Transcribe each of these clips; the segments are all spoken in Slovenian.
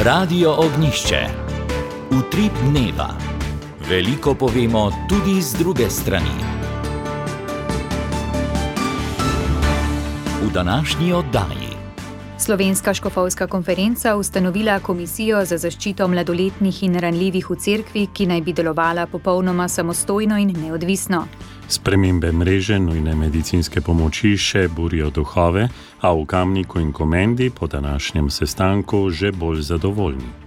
Radio Ognjišče. Utrip dneva. Veliko povemo tudi z druge strani. V današnji oddaji. Slovenska škofovska konferenca ustanovila komisijo za zaščito mladoletnih in ranljivih v cerkvi, ki naj bi delovala popolnoma samostojno in neodvisno. Spremembe mreže nujne medicinske pomoči še burijo duhove, a v Kamniku in Komendi po današnjem sestanku že bolj zadovoljni.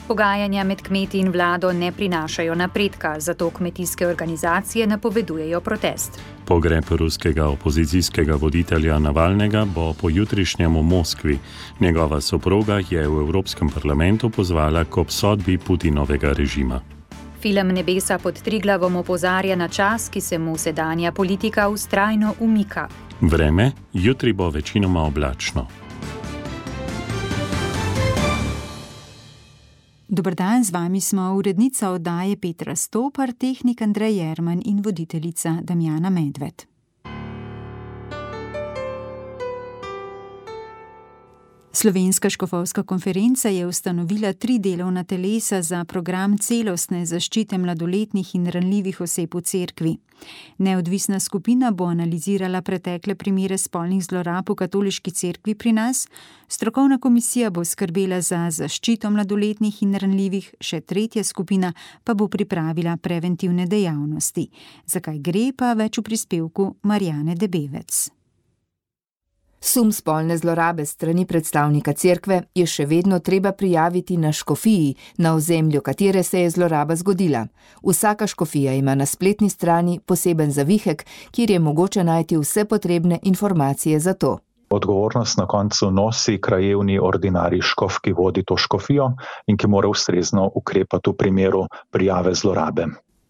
Pogajanja med kmeti in vlado ne prinašajo napredka, zato kmetijske organizacije napovedujejo protest. Pogreb ruskega opozicijskega voditelja Navalnega bo po jutrišnjem v Moskvi. Njegova soproga je v Evropskem parlamentu pozvala k obsodbi Putinovega režima. Film Nebesa pod Triglavom opozarja na čas, ki se mu sedanja politika vztrajno umika. Vreme, jutri bo večinoma oblačno. Dober dan, z vami smo urednica oddaje Petra Stopar, tehnik Andrej Jerman in voditeljica Damjana Medved. Slovenska škofovska konferenca je ustanovila 3 delovna telesa za program celostne zaščite mladoletnih in ranljivih oseb v cerkvi. Neodvisna skupina bo analizirala pretekle primere spolnih zlorab v katoliški cerkvi pri nas, strokovna komisija bo skrbela za zaščito mladoletnih in ranljivih, še 3. skupina pa bo pripravila preventivne dejavnosti. Zakaj gre, pa več v prispevku Marjane Debevec. Sum spolne zlorabe strani predstavnika cerkve je še vedno treba prijaviti na škofiji, na ozemlju katere se je zloraba zgodila. Vsaka škofija ima na spletni strani poseben zavihek, kjer je mogoče najti vse potrebne informacije za to. Odgovornost na koncu nosi krajevni ordinarij škof, ki vodi to škofijo in ki mora ustrezno ukrepati v primeru prijave zlorabe.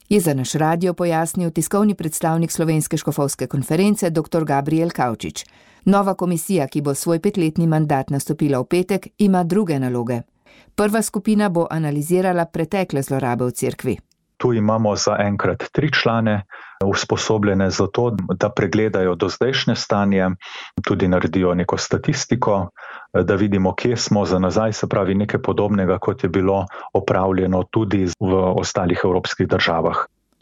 Je za naš radio pojasnil tiskovni predstavnik Slovenske škofovske konference dr. Gabriel Kavčič. Nova komisija, ki bo svoj 5-letni mandat nastopila v petek, ima druge naloge. Prva skupina bo analizirala pretekle zlorabe v cerkvi. Tu imamo zaenkrat 3 člane, usposobljene za to, da pregledajo dozdajšnje stanje, tudi naredijo neko statistiko, da vidimo, kje smo za nazaj, se pravi nekaj podobnega, kot je bilo opravljeno tudi v ostalih evropskih državah.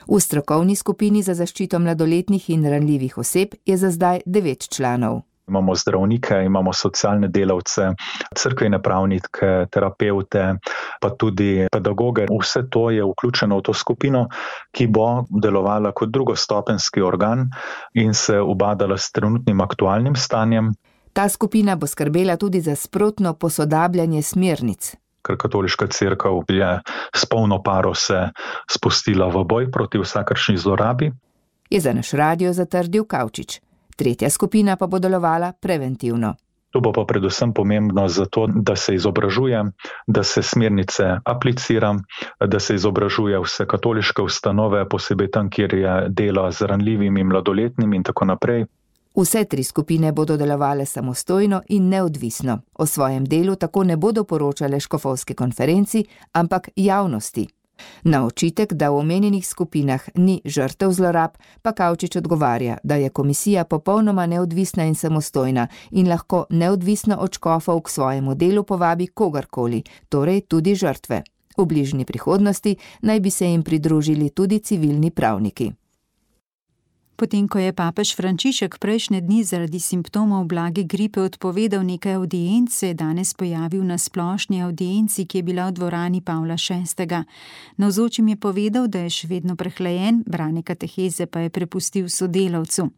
V strokovni skupini za zaščito mladoletnih in ranljivih oseb je za zdaj 9 članov. Imamo zdravnike, imamo socialne delavce, cerkvene pravnike, terapevte, pa tudi pedagoge. Vse to je vključeno v to skupino, ki bo delovala kot drugostopenjski organ in se ubadala s trenutnim aktualnim stanjem. Ta skupina bo skrbela tudi za sprotno posodabljanje smernic. Ker katoliška cerkev je s polno paro se spustila v boj proti vsakršni zlorabi. Je za naš radio zatrdil Kavčič. 3. skupina pa bo delovala preventivno. To bo pa predvsem pomembno zato, da se izobražuje, da se smernice aplicira, da se izobražuje vse katoliške ustanove, posebej tam, kjer je delo z ranljivimi mladoletnimi in tako naprej. Vse 3 skupine bodo delovale samostojno in neodvisno. O svojem delu tako ne bodo poročale škofovske konferenci, ampak javnosti. Na očitek, da v omenjenih skupinah ni žrtev zlorab, pa Kavčič odgovarja, da je komisija popolnoma neodvisna in samostojna in lahko neodvisno od škofov k svojemu delu povabi kogarkoli, torej tudi žrtve. V bližnji prihodnosti naj bi se jim pridružili tudi civilni pravniki. Potem, ko je papež Frančišek prejšnje dni zaradi simptomov blage gripe odpovedal nekaj avdienc, se je danes pojavil na splošni avdienci, ki je bila v dvorani Pavla VI. Navzočim je povedal, da je še vedno prehlajen, branje kateheze pa je prepustil sodelavcu.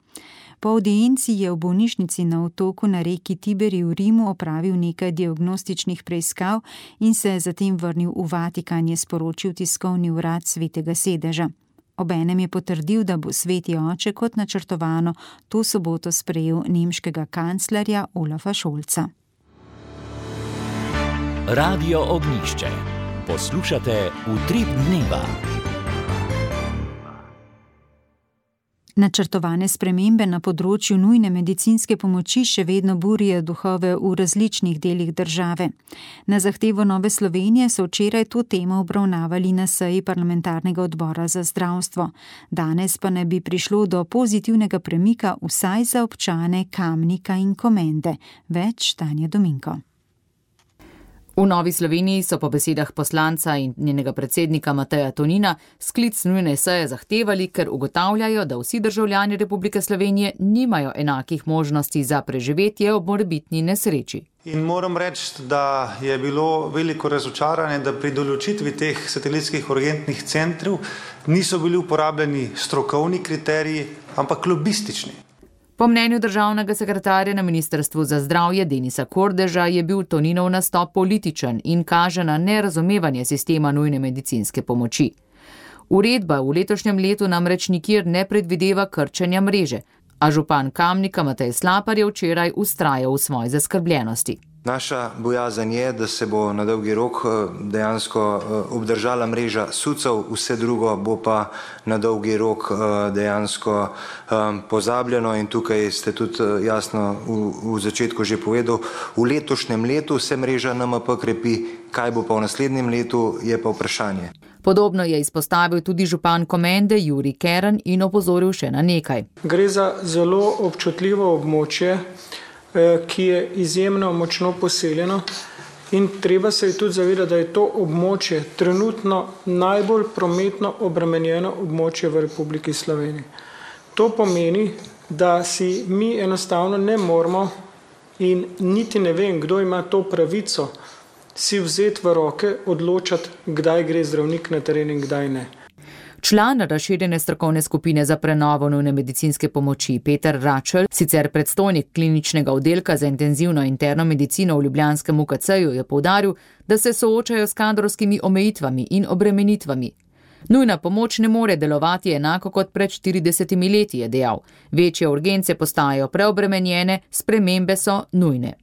Po avdienci je v bolnišnici na otoku na reki Tiberi v Rimu opravil nekaj diagnostičnih preiskav in se zatem vrnil v Vatikan, je sporočil tiskovni urad Svetega sedeža. Obenem je potrdil, da bo Sveti oče kot načrtovano to soboto sprejel nemškega kanclerja Olafa Scholza. Radio Ognjišče. Poslušate Utrip dneva. Načrtovane spremembe na področju nujne medicinske pomoči še vedno burijo duhove v različnih delih države. Na zahtevo Nove Slovenije so včeraj to temo obravnavali na seji parlamentarnega odbora za zdravstvo. Danes pa naj bi prišlo do pozitivnega premika vsaj za občane Kamnika in Komende. Več Tanja Dominko. V Novi Sloveniji so po besedah poslanca in njenega predsednika Mateja Tonina sklic nujne seje zahtevali, ker ugotavljajo, da vsi državljani Republike Slovenije nimajo enakih možnosti za preživetje ob morebitni nesreči. In moram reči, da je bilo veliko razočaranje, da pri določitvi teh satelitskih urgentnih centrov niso bili uporabljeni strokovni kriteriji, ampak lobistični. Po mnenju državnega sekretarja na Ministrstvu za zdravje Denisa Kordeža je bil Toninov nastop političen in kaže na nerazumevanje sistema nujne medicinske pomoči. Uredba v letošnjem letu namreč nikjer ne predvideva krčenja mreže, a župan Kamnika Matej Slapar je včeraj vztrajal v svoji zaskrbljenosti. Naša bojazen je, da se bo na dolgi rok dejansko obdržala mreža SUC-ov, vse drugo bo pa na dolgi rok dejansko pozabljeno in tukaj ste tudi jasno v začetku že povedal, v letošnjem letu se mreža NMP krepi, kaj bo pa v naslednjem letu, je pa vprašanje. Podobno je izpostavil tudi župan Komende Jurij Kern in opozoril še na nekaj. Gre za zelo občutljivo območje, ki je izjemno močno poseljeno in treba se tudi zavedati, da je to območje trenutno najbolj prometno obremenjeno območje v Republiki Sloveniji. To pomeni, da si mi enostavno ne moremo in niti ne vem, kdo ima to pravico si vzeti v roke, odločati, kdaj gre zdravnik na teren in kdaj ne. Član razširjene strokovne skupine za prenovo nujne medicinske pomoči Peter Račelj, sicer predstojnik kliničnega oddelka za intenzivno interno medicino v ljubljanskem UKC-ju, je poudaril, da se soočajo s kadrovskimi omejitvami in obremenitvami. Nujna pomoč ne more delovati enako kot pred 40 leti, je dejal. Večje urgence postajajo preobremenjene, spremembe so nujne.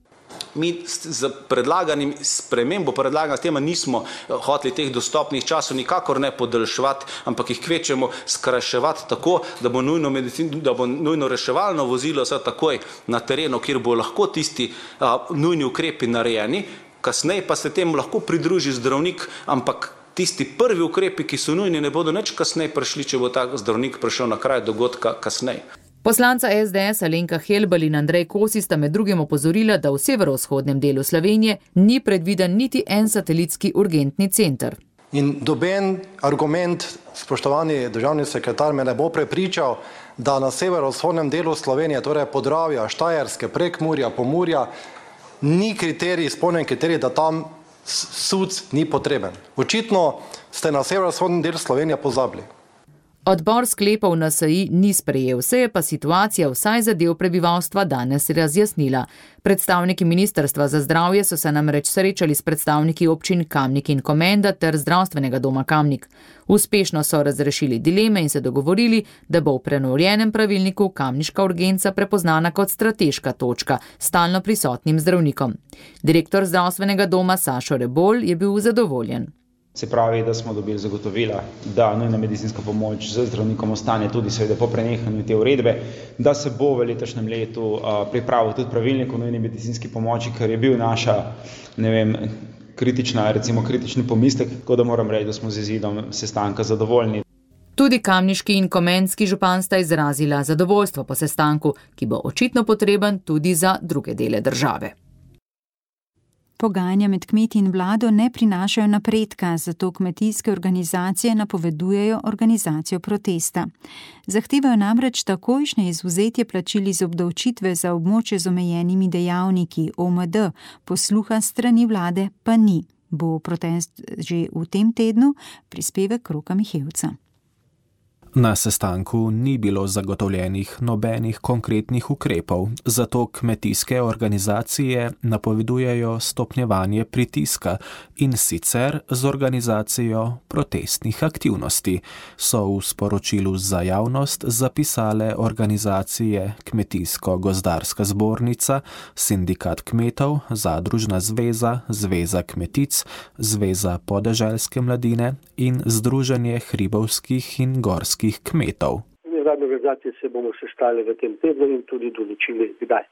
Mi z predlaganim spremembo predlagana tema nismo hoteli teh dostopnih časov nikakor ne podaljševati, ampak jih kvečemo skrajševati tako, da bo nujno reševalno vozilo vse takoj na terenu, kjer bo lahko tisti nujni ukrepi narejeni, kasneje pa se temu lahko pridruži zdravnik, ampak tisti prvi ukrepi, ki so nujni, ne bodo nič kasneje prišli, če bo ta zdravnik prišel na kraj dogodka kasneje. Poslanca SDS Alenka Helbl in Andrej Kosi sta med drugim opozorila, da v severovzhodnem delu Slovenije ni predviden niti en satelitski urgentni center. In doben argument, spoštovani državni sekretar, me ne bo prepričal, da na severovzhodnem delu Slovenije, torej Podravja, Štajerske, Prekmurja, Pomurja, ni kriterij, izpolnjen kriterij, da tam SUC ni potreben. Očitno ste na severovzhodnem delu Slovenije pozabili. Odbor sklepov NSI ni sprejel, se je pa situacija vsaj za del prebivalstva danes razjasnila. Predstavniki Ministrstva za zdravje so se namreč srečali s predstavniki občin Kamnik in Komenda ter zdravstvenega doma Kamnik. Uspešno so razrešili dileme in se dogovorili, da bo v prenovljenem pravilniku kamniška urgenca prepoznana kot strateška točka s stalno prisotnim zdravnikom. Direktor zdravstvenega doma Sašo Rebolj je bil zadovoljen. Se pravi, da smo dobili zagotovila, da nujna medicinska pomoč z zdravnikom ostane tudi seveda po prenehanju te uredbe, da se bo v letošnjem letu pripravil tudi pravilnik o nujni medicinski pomoči, ker je bil naša, kritični pomislek, tako da moram reči, da smo z izidom sestanka zadovoljni. Tudi kamniški in komenski župan sta izrazila zadovoljstvo po sestanku, ki bo očitno potreben tudi za druge dele države. Pogajanja med kmeti in vlado ne prinašajo napredka, zato kmetijske organizacije napovedujejo organizacijo protesta. Zahtevajo namreč takojšnje izvzetje plačil iz obdavčitve za območje z omejenimi dejavniki OMD, posluha strani vlade pa ni. Bo protest že v tem tednu, prispevek Roka Mihevca. Na sestanku ni bilo zagotovljenih nobenih konkretnih ukrepov, zato kmetijske organizacije napovedujejo stopnjevanje pritiska in sicer z organizacijo protestnih aktivnosti, so v sporočilu za javnost zapisale organizacije Kmetijsko-gozdarska zbornica, Sindikat kmetov, Zadružna zveza, Zveza kmetic, Zveza podeželske mladine in Združenje hribovskih in gorskih kmetov. Nevladne organizacije se bomo sestali v tem tednu in tudi določili kdaj.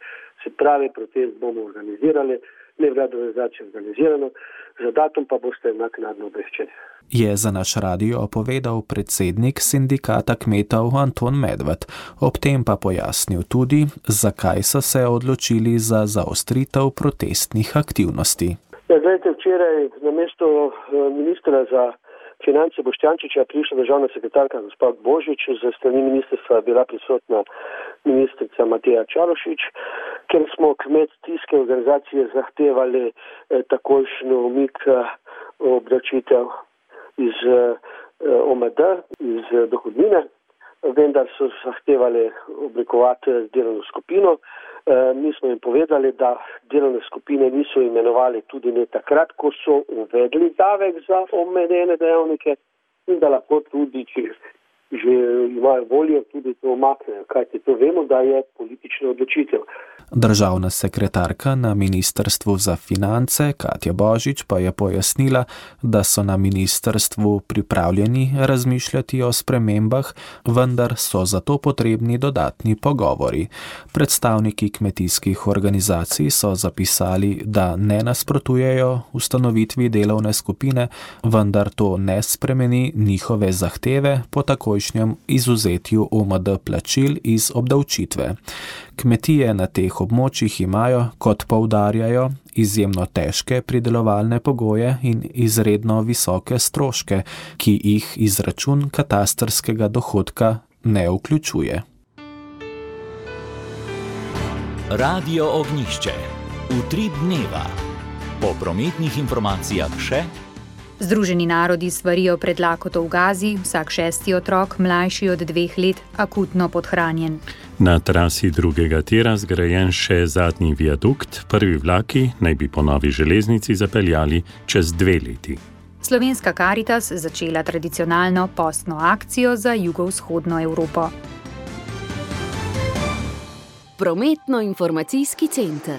Se pravi, protest bomo organizirali, nevladne organizacije organizirano, za datum pa boste naknadno obveščeni. Je za naš radio povedal predsednik Sindikata kmetov Anton Medved. Ob tem pa pojasnil tudi, zakaj so se odločili za zaostritev protestnih aktivnosti. Zdajte, včeraj na mesto ministra za finance Boštjančiča prišla državna sekretarka gospod Božič, za strani ministrstva je bila prisotna ministrica Mateja Čarošić, ker smo kmetijske organizacije zahtevali takojšnjo umik obdavčitev iz OMD, iz dohodnine, vendar so zahtevali oblikovati delovno skupino. Mi smo jim povedali, da delovne skupine niso imenovali tudi ne takrat, ko so uvedli davek za omenjene dejavnike in da lahko tudi, če že imajo voljo, tudi to umaknejo, kajti to vemo, da je politična odločitev. Državna sekretarka na Ministrstvu za finance Katja Božič pa je pojasnila, da so na ministrstvu pripravljeni razmišljati o spremembah, vendar so zato potrebni dodatni pogovori. Predstavniki kmetijskih organizacij so zapisali, da ne nasprotujejo ustanovitvi delovne skupine, vendar to ne spremeni njihove zahteve po takojšnjem izuzetju OMD plačil iz obdavčitve. Kmetije na teh območjih imajo, kot poudarjajo, izjemno težke pridelovalne pogoje in izredno visoke stroške, ki jih izračun katastrskega dohodka ne vključuje. Radio Ognjišče. Utrip dneva. Po prometnih informacijah še. Združeni narodi svarijo pred lakoto v Gazi, vsak 6. otrok, mlajši od 2 let, akutno podhranjen. Na trasi drugega tira zgrajen še zadnji viadukt, prvi vlaki naj bi po novi železnici zapeljali čez 2 leti. Slovenska Karitas začela tradicionalno postno akcijo za jugovzhodno Evropo. Prometno-informacijski center.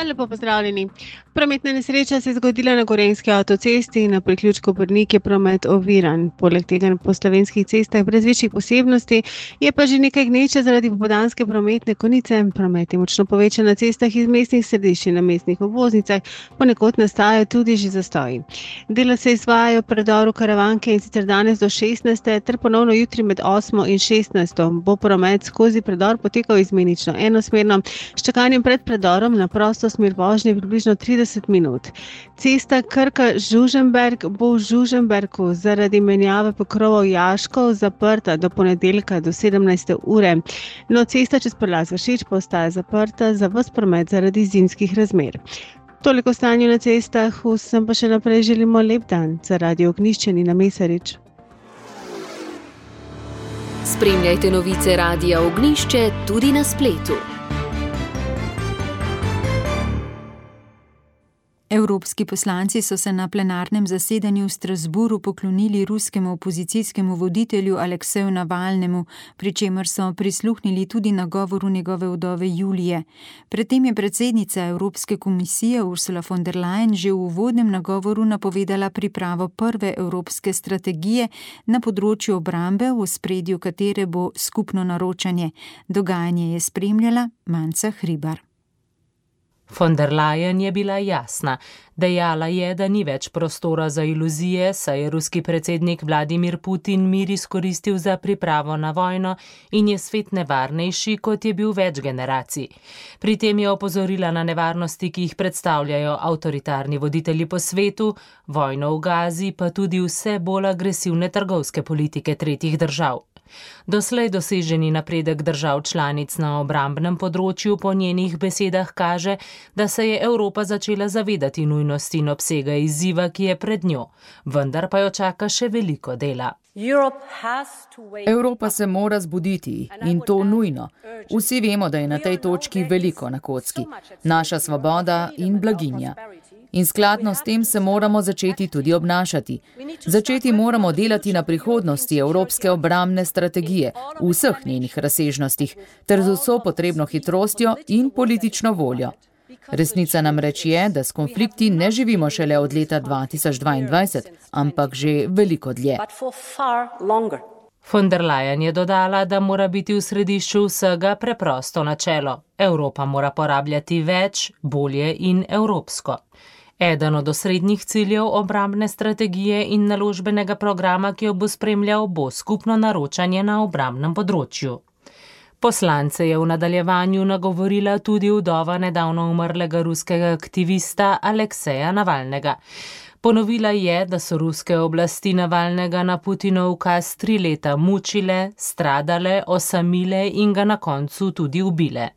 Lepo pozdravljeni. Prometna nesreča se je zgodila na Gorenjski avtocesti in na priključku Brnik je promet oviran. Poleg tega po slovenskih cestah brez večjih posebnosti je pa že nekaj gneče zaradi popoldanske prometne konice. Promet je močno povečan na cestah iz mestnih središč in na mestnih obvoznicah, ponekod nastajajo tudi že zastoji. Dela se izvajajo v predoru Karavanke in sicer danes do 16. ter ponovno jutri med 8. in 16. Bo promet skozi predor potekal izmenično enosmerno, s čakanjem pred predorom na prosto smer vožnje približno 30 minut. Cesta Krka-Žuženberg bo v Žuženbergu zaradi menjave pokrovov jaškov zaprta do ponedeljka do 17. ure. No, cesta čez Prlaz Vršič pa ostaja zaprta za ves promet zaradi zimskih razmer. Toliko o stanju na cestah, vsem pa še naprej želimo lep dan. Za Radio Ognjišče Nina Mesarič. Spremljajte novice Radia Ognjišče tudi na spletu. Evropski poslanci so se na plenarnem zasedanju v Strasburu poklonili ruskemu opozicijskemu voditelju Alekseju Navalnemu, pri čemer so prisluhnili tudi nagovoru njegove vdove Julije. Predtem je predsednica Evropske komisije Ursula von der Leyen že v uvodnem nagovoru napovedala pripravo prve evropske strategije na področju obrambe, v ospredju katere bo skupno naročanje. Dogajanje je spremljala Manca Hribar. Von der Leyen je bila jasna. Dejala je, da ni več prostora za iluzije, saj je ruski predsednik Vladimir Putin mir izkoristil za pripravo na vojno in je svet nevarnejši, kot je bil več generacij. Pri tem je opozorila na nevarnosti, ki jih predstavljajo avtoritarni voditelji po svetu, vojno v Gazi, pa tudi vse bolj agresivne trgovske politike tretjih držav. Doslej doseženi napredek držav članic na obrambnem področju po njenih besedah kaže, da se je Evropa začela zavedati nujnosti in obsega izziva, ki je pred njo, vendar pa jo čaka še veliko dela. Evropa se mora zbuditi in to nujno. Vsi vemo, da je na tej točki veliko na kocki. Naša svoboda in blaginja. In skladno s tem se moramo začeti tudi obnašati. Začeti moramo delati na prihodnosti evropske obrambne strategije v vseh njenih razsežnostih, ter z vso potrebno hitrostjo in politično voljo. Resnica namreč je, da s konflikti ne živimo šele od leta 2022, ampak že veliko dlje. Von der Leyen je dodala, da mora biti v središču vsega preprosto načelo. Evropa mora porabljati več, bolje in evropsko. Eden od osrednjih ciljev obrambne strategije in naložbenega programa, ki jo bo spremljal, bo skupno naročanje na obrambnem področju. Poslance je v nadaljevanju nagovorila tudi vdova nedavno umrlega ruskega aktivista Alekseja Navalnega. Ponovila je, da so ruske oblasti Navalnega na Putinov ukaz 3 leta mučile, stradale, osamile in ga na koncu tudi ubile.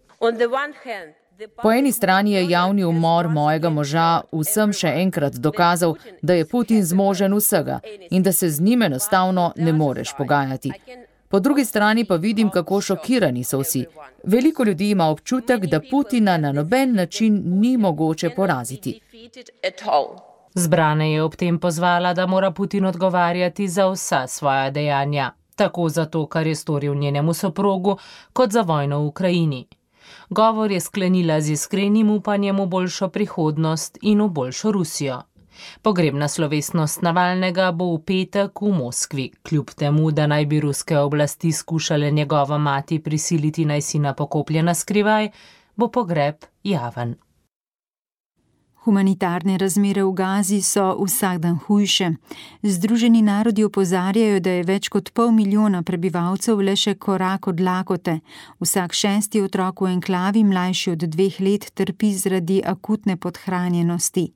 Po eni strani je javni umor mojega moža vsem še enkrat dokazal, da je Putin zmožen vsega in da se z njim enostavno ne moreš pogajati. Po drugi strani pa vidim, kako šokirani so vsi. Veliko ljudi ima občutek, da Putina na noben način ni mogoče poraziti. Zbrane je ob tem pozvala, da mora Putin odgovarjati za vsa svoja dejanja, tako za to, kar je storil njenemu soprogu, kot za vojno v Ukrajini. Govor je sklenila z iskrenim upanjem v boljšo prihodnost in v boljšo Rusijo. Pogrebna slovesnost Navalnega bo v petek v Moskvi, kljub temu, da naj bi ruske oblasti skušale njegova mati prisiliti, naj sina pokoplje na skrivaj, bo pogreb javen. Humanitarne razmere v Gazi so vsak dan hujše. Združeni narodi opozarjajo, da je več kot 500 milijona prebivalcev le še korak od lakote. Vsak 6. otrok v enklavi mlajši od 2 let trpi zaradi akutne podhranjenosti.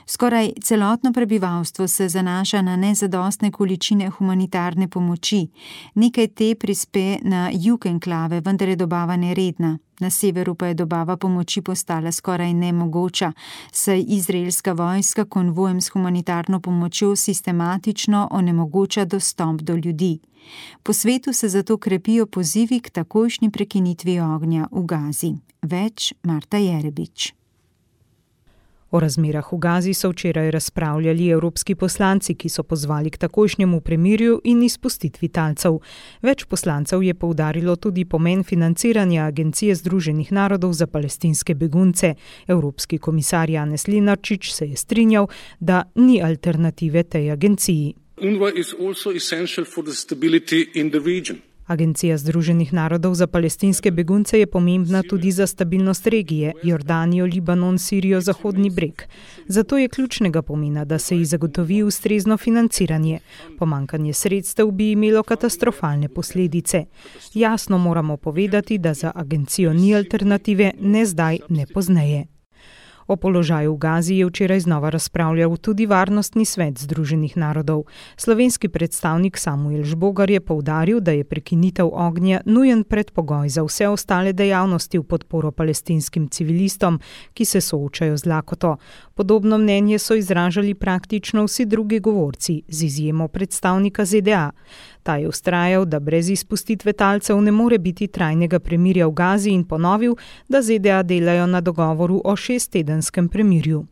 Skoraj celotno prebivalstvo se zanaša na nezadostne količine humanitarne pomoči. Nekaj te prispe na jug enklave, vendar je dobava neredna. Na severu pa je dobava pomoči postala skoraj nemogoča, saj izraelska vojska konvojem s humanitarno pomočjo sistematično onemogoča dostop do ljudi. Po svetu se zato krepijo pozivi k takojšnji prekinitvi ognja v Gazi. Več Marta Jerebič. O razmerah v Gazi so včeraj razpravljali evropski poslanci, ki so pozvali k takojšnjemu premirju in izpustitvi talcev. Več poslancev je poudarilo tudi pomen financiranja Agencije Združenih narodov za palestinske begunce. Evropski komisar Janez Lenarčič se je strinjal, da ni alternative tej agenciji. UNRWA is also essential for the stability in the region. Agencija Združenih narodov za palestinske begunce je pomembna tudi za stabilnost regije, Jordanijo, Libanon, Sirijo, Zahodni breg. Zato je ključnega pomena, da se ji zagotovi ustrezno financiranje. Pomanjkanje sredstev bi imelo katastrofalne posledice. Jasno moramo povedati, da za agencijo ni alternative, ne zdaj, ne pozneje. O položaju v Gazi je včeraj znova razpravljal tudi Varnostni svet Združenih narodov. Slovenski predstavnik Samuel Žbogar je poudaril, da je prekinitev ognja nujen predpogoj za vse ostale dejavnosti v podporo palestinskim civilistom, ki se soočajo z lakoto. Podobno mnenje so izražali praktično vsi drugi govorci, z izjemo predstavnika ZDA. Ta je vztrajal, da brez izpustitve talcev ne more biti trajnega premirja v Gazi in ponovil, da ZDA delajo na dogovoru o 6-tedenskem premirju.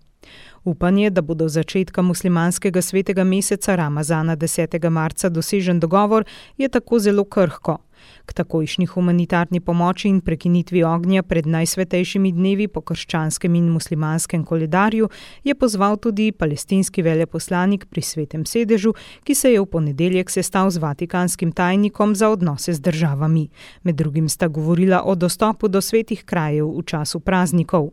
Upanje, da bo do začetka muslimanskega svetega meseca Ramazana 10. marca dosežen dogovor, je tako zelo krhko. K takojšnji humanitarni pomoči in prekinitvi ognja pred najsvetejšimi dnevi po krščanskem in muslimanskem koledarju je pozval tudi palestinski veleposlanik pri Svetem sedežu, ki se je v ponedeljek sestal z vatikanskim tajnikom za odnose z državami. Med drugim sta govorila o dostopu do svetih krajev v času praznikov.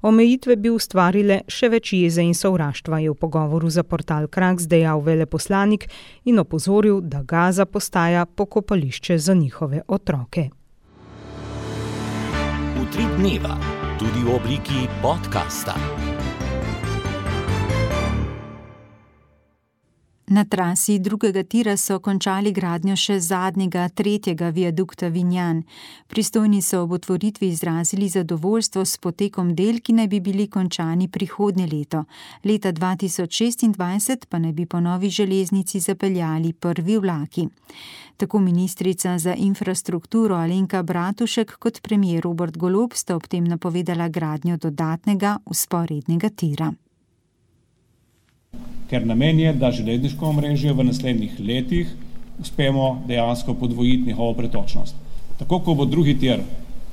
Omejitve bi ustvarile še več jeze in sovraštva, je v pogovoru za portal Kraks dejal veleposlanik in opozoril, da Gaza postaja pokopališče za njihove otroke. Utrip dneva, tudi v obliki podcasta. Na trasi drugega tira so končali gradnjo še zadnjega, 3. viadukta Vinjan. Pristojni so ob otvoritvi izrazili zadovoljstvo s potekom del, ki naj bi bili končani prihodnje leto. Leta 2026 pa naj bi po novi železnici zapeljali prvi vlaki. Tako ministrica za infrastrukturo Alenka Bratušek kot premier Robert Golob sta ob tem napovedala gradnjo dodatnega vzporednega tira. Ker namen je, da železniško omrežje v naslednjih letih uspemo dejansko podvojiti njihovo pretočnost. Tako, ko bo drugi tir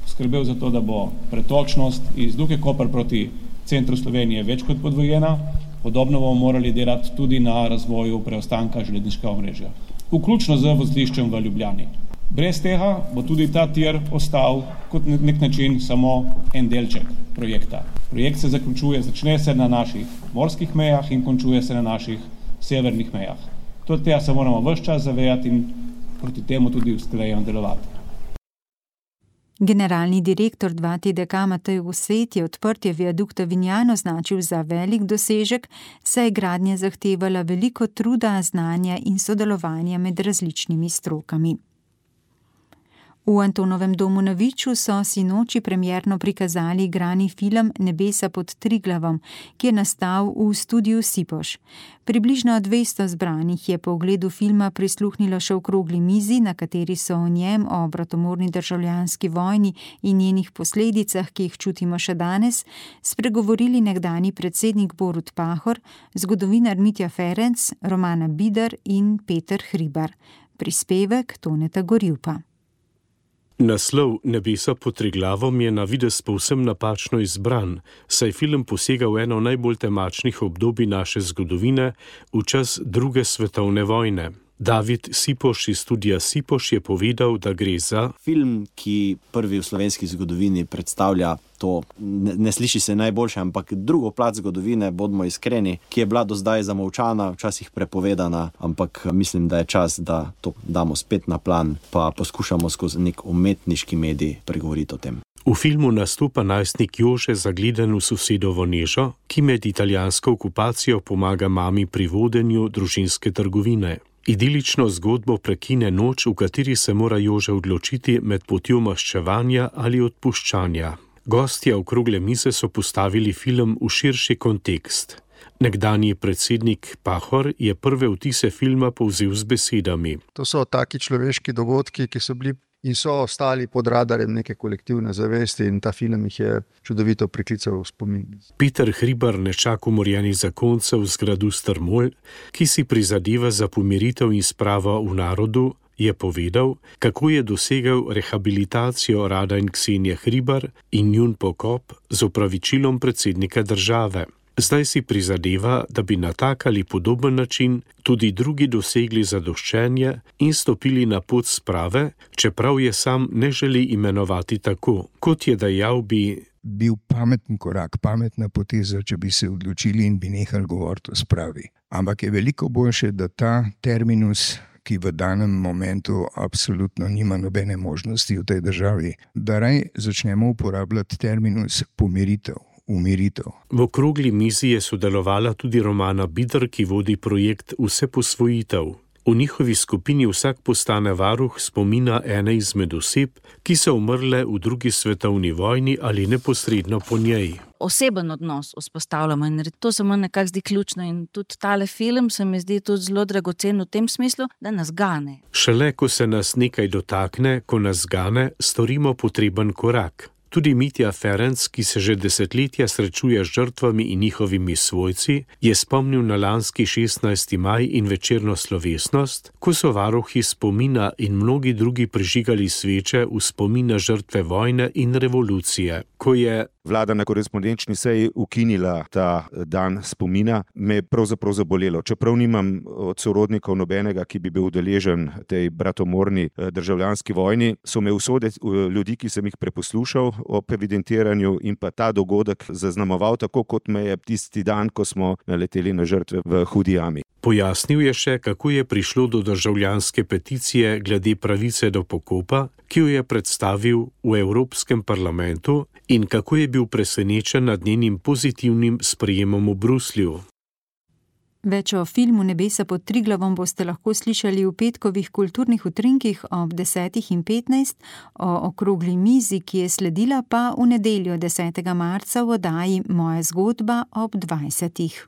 skrbel za to, da bo pretočnost iz Luke Koper proti centru Slovenije več kot podvojena, podobno bomo morali delati tudi na razvoju preostanka železniškega omrežja, vključno z vozliščem v Ljubljani. Brez tega bo tudi ta tir ostal kot nek način samo en delček projekta. Projekt se začne se na naših morskih mejah in končuje se na naših severnih mejah. Tega se moramo ves čas zavedati in proti temu tudi usklajeno delovati. Generalni direktor 2TDK Matej Vosejt je odprtje viadukta Vinjan označil za velik dosežek, saj je gradnja zahtevala veliko truda, znanja in sodelovanja med različnimi strokami. V Antonovem domu na Viču so sinoči premierno prikazali igrani film Nebesa pod Triglavom, ki je nastal v studiu Sipoš. Približno 200 zbranih je po ogledu filma prisluhnilo še okrogli mizi, na kateri so o njem, o bratomorni državljanski vojni in njenih posledicah, ki jih čutimo še danes, spregovorili nekdanji predsednik Borut Pahor, zgodovinar Mitja Ferenc, Romana Bidar in Peter Hribar. Prispevek Toneta Gorjupa. Naslov Nebesa pod Triglavom je na videz povsem napačno izbran, saj film posega v eno najbolj temačnih obdobij naše zgodovine, v čas druge svetovne vojne. David Sipoš iz studia Sipoš je povedal, da gre za film, ki prvi v slovenski zgodovini predstavlja to, ne sliši se najboljše, ampak drugo plat zgodovine, bodimo iskreni, ki je bila do zdaj zamolčana, včasih prepovedana, ampak mislim, da je čas, da to damo spet na plan, pa poskušamo skozi nek umetniški medij pregovoriti o tem. V filmu nastopa najstnik Jože zagleden v sosedovo Nežo, ki med italijansko okupacijo pomaga mami pri vodenju družinske trgovine. Idilično zgodbo prekine noč, v kateri se mora Jože odločiti med potjo maščevanja ali odpuščanja. Gostje okrogle mize so postavili film v širši kontekst. Nekdanji predsednik Pahor je prve vtise filma povzel z besedami. To so taki človeški dogodki, ki so bili in so ostali pod radarjem neke kolektivne zavesti in ta film jih je čudovito priklical v spomin. Peter Hribar, nečak umorjenih zakoncev z gradu Strmol, ki si prizadeva za pomiritev in spravo v narodu, je povedal, kako je dosegel rehabilitacijo Rada in Ksenije Hribar in njun pokop z opravičilom predsednika države. Zdaj si prizadeva, da bi na tak ali podoben način tudi drugi dosegli zadoščenje in stopili na pot sprave, čeprav je sam ne želi imenovati tako. Kot je dejal, bi bil pameten korak, pametna poteza, če bi se odločili in bi nehali govoriti o spravi. Ampak je veliko boljše, da ta terminus, ki v danem momentu absolutno nima nobene možnosti v tej državi, da raj začnemo uporabljati terminus pomiritev. Umiritev. V okrogli mizi je sodelovala tudi Romana Bidar, ki vodi projekt Vse posvojitev. V njihovi skupini vsak postane varuh spomina ene izmed oseb, ki so umrle v drugi svetovni vojni ali neposredno po njej. Oseben odnos vzpostavljamo in to se mi nekako zdi ključno in tudi tale film se mi zdi tudi zelo dragocen v tem smislu, da nas gane. Šele, ko se nas nekaj dotakne, ko nas gane, storimo potreben korak. Tudi Mitja Ferenc, ki se že desetletja srečuje z žrtvami in njihovimi svojci, je spomnil na lanski 16. maj in večerno slovesnost, ko so varuhi spomina in mnogi drugi prižigali sveče v spomin na žrtve vojne in revolucije. Ko je vlada na korespondenčni seji ukinila ta dan spomina, me je pravzaprav zabolelo. Čeprav nimam od sorodnikov nobenega, ki bi bil udeležen tej bratomorni državljanski vojni, so me usode ljudi, ki sem jih preposlušal ob evidentiranju in pa ta dogodek zaznamoval tako, kot me je tisti dan, ko smo naleteli na žrtve v Hudi jami. Pojasnil je še, kako je prišlo do državljanske peticije glede pravice do pokopa, ki jo je predstavil v Evropskem parlamentu in kako je bil presenečen nad njenim pozitivnim sprejemom v Bruslju. Več o filmu Nebesa pod Triglavom boste lahko slišali v petkovih kulturnih utrinkih ob 10:15, o okrogli mizi, ki je sledila, pa v nedeljo 10. marca v oddaji Moja zgodba ob 20.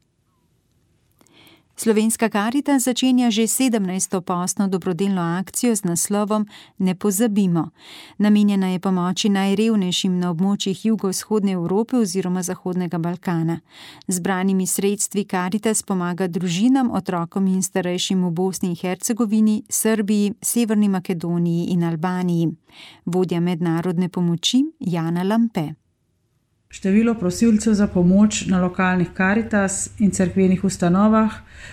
Slovenska Karitas začenja že 17. postno dobrodelno akcijo z naslovom Ne pozabimo. Namenjena je pomoči najrevnejšim na območjih jugovzhodne Evrope oziroma Zahodnega Balkana. Zbranimi sredstvi Karitas pomaga družinam, otrokom in starejšim v Bosni in Hercegovini, Srbiji, Severni Makedoniji in Albaniji. Vodja mednarodne pomoči Jana Lampe. Število prosilcev za pomoč na lokalnih Karitas in cerkvenih ustanovah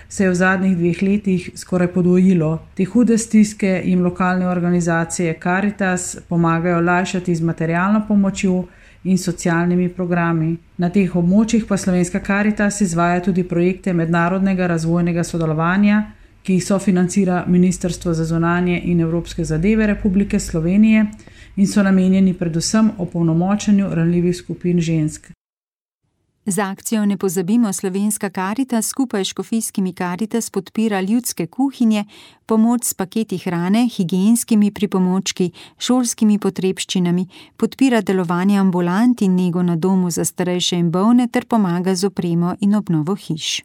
se je v zadnjih 2 letih skoraj podvojilo. Te hude stiske jim lokalne organizacije Karitas pomagajo lajšati z materialno pomočjo in socialnimi programi. Na teh območjih pa Slovenska Karitas izvaja tudi projekte mednarodnega razvojnega sodelovanja, ki jih sofinancira Ministrstvo za zunanje in evropske zadeve Republike Slovenije in so namenjeni predvsem opolnomočenju ranljivih skupin žensk. Z akcijo Ne pozabimo Slovenska Karitas skupaj s škofijskimi Karitas podpira ljudske kuhinje, pomoč s paketi hrane, higienskimi pripomočki, šolskimi potrebščinami, podpira delovanje ambulant in nego na domu za starejše in bolne ter pomaga z opremo in obnovo hiš.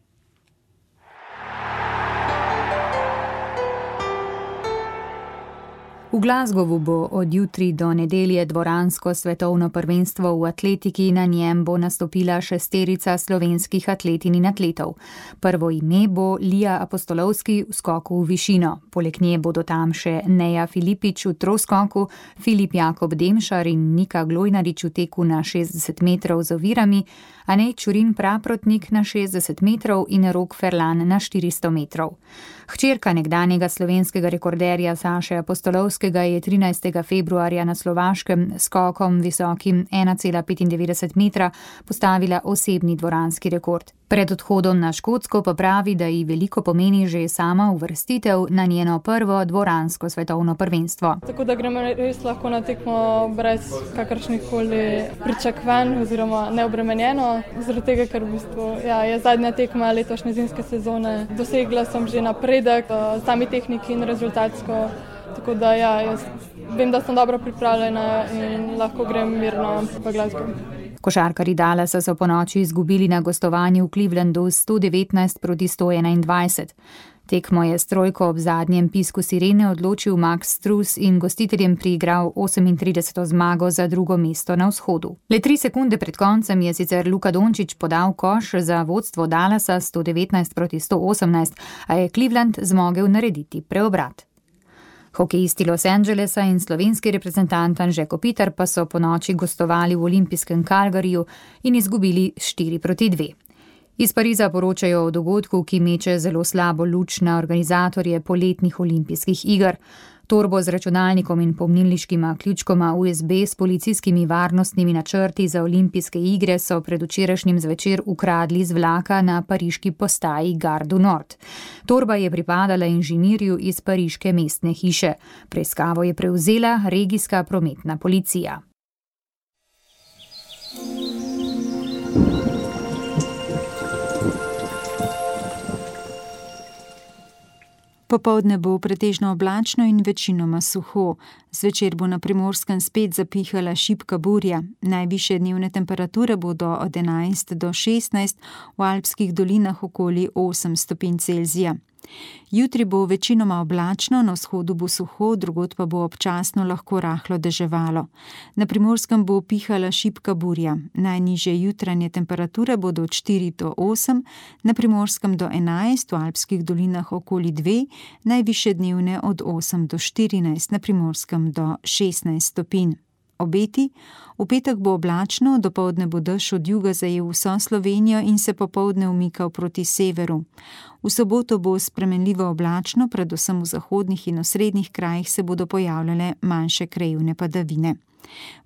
V Glasgowu bo od jutri do nedelje dvoransko svetovno prvenstvo v atletiki, na njem bo nastopila 6 slovenskih atletinj in atletov. Prvo ime bo Lija Apostolovski v skoku v višino. Poleg nje bodo tam še Neja Filipič v troskoku, Filip Jakob Demšar in Nika Glojnarič v teku na 60 metrov z ovirami, Anej Čurin Praprotnik na 60 metrov in Rok Ferlan na 400 metrov. Hčerka nekdanjega slovenskega rekorderja Saše Apostolovskega je 13. februarja na Slovaškem skokom visokim 1,95 metra postavila osebni dvoranski rekord. Pred odhodom na Škotsko pa pravi, da ji veliko pomeni že sama uvrstitev na njeno prvo dvoransko svetovno prvenstvo. Tako da gremo res lahko na tekmo brez kakršnih koli pričakovanj oziroma neobremenjeno, zaradi tega, ker v bistvu je zadnja tekma letošnje zimske sezone. Dosegla sem že napredek v sami tehniki in rezultatsko, tako da jaz vem, da sem dobro pripravljena in lahko grem mirno v Glasgow. Košarkarji Dallasa so ponoči izgubili na gostovanju v Clevelandu 119-121. Tekmo je s trojko ob zadnjem pisku sirene odločil Max Strus in gostiteljem priigral 38. zmago za drugo mesto na vzhodu. Le 3 sekunde pred koncem je sicer Luka Dončić podal koš za vodstvo Dallasa 119-118, a je Cleveland zmogel narediti preobrat. Hokejisti Los Angelesa in slovenski reprezentant Anže Kopitar pa so ponoči gostovali v olimpijskem Calgaryju in izgubili 4-2. Iz Pariza poročajo o dogodku, ki meče zelo slabo luč na organizatorje poletnih olimpijskih iger. Torbo z računalnikom in pomnilniškima ključkoma USB s policijskimi varnostnimi načrti za olimpijske igre so predvčerajšnjim zvečer ukradli z vlaka na pariški postaji Gare du Nord. Torba je pripadala inženirju iz pariške mestne hiše. Preiskavo je prevzela regijska prometna policija. Popoldne bo pretežno oblačno in večinoma suho. Zvečer bo na Primorskem spet zapihala šibka burja. Najvišje dnevne temperature bodo od 11 do 16, v alpskih dolinah okoli 8 stopinj Celzija. Jutri bo večinoma oblačno, na vzhodu bo suho, drugod pa bo občasno lahko rahlo deževalo. Na Primorskem bo pihala šibka burja. Najnižje jutranje temperature bodo od 4 do 8, na Primorskem do 11, v alpskih dolinah okoli 2, najvišje dnevne od 8 do 14, na Primorskem do 16 stopinj. Obeti: v petek bo oblačno, dopoldne bo dež od juga zajel vso Slovenijo in se popoldne umikal proti severu. V soboto bo spremenljivo oblačno, predvsem v zahodnih in osrednjih krajih se bodo pojavljale manjše krajevne padavine.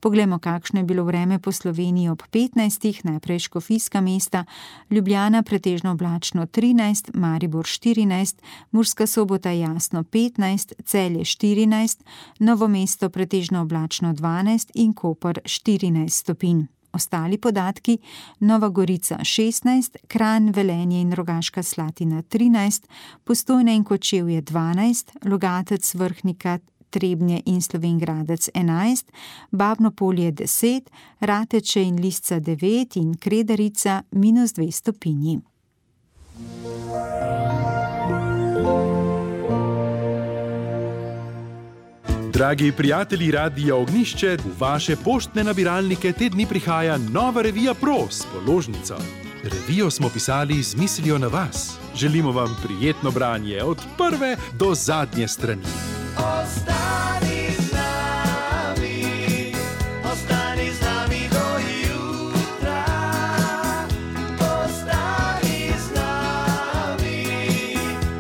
Poglejmo, kakšno je bilo vreme po Sloveniji ob 15, najprej škofijska mesta, Ljubljana pretežno oblačno 13, Maribor 14, Murska Sobota jasno 15, Celje 14, Novo mesto pretežno oblačno 12 in Koper 14 stopinj. Ostali podatki: Nova Gorica 16, Kranj, Velenje in Rogaška Slatina 13, Postojna in Kočevje 12, Logatec, Vrhnika, Trebnje in Slovenj Gradec 11, Babno Polje 10, Rateče in Lisca 9 in Kredarica -2 stopinji. Dragi prijatelji Radia Ognjišče, v vaše poštne nabiralnike te dni prihaja nova revija Pro s položnico. Revijo smo pisali z mislijo na vas. Želimo vam prijetno branje od prve do zadnje strani. Ostani z nami do jutra, ostani z nami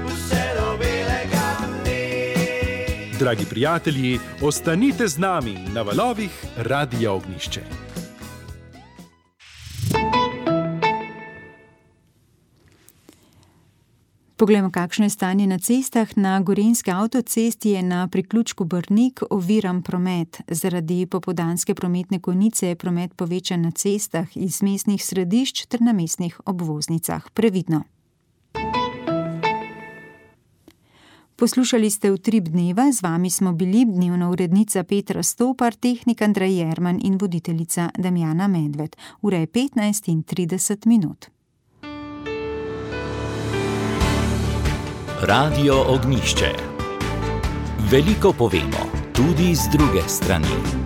vse do belega dne. Dragi prijatelji, ostanite z nami na valovih Radia Ognjišče. Poglejmo, kakšno je stanje na cestah. Na gorenjski avtocesti je na priključku Brnik oviran promet. Zaradi popoldanske prometne konice je promet povečan na cestah iz mestnih središč ter na mestnih obvoznicah. Previdno. Poslušali ste Utrip dneva, z vami smo bili dnevna urednica Petra Stopar, tehnik Andrej Jerman in voditeljica Damjana Medved. Ura je 15:30. Radio Ognjišče. Veliko povemo, tudi z druge strani.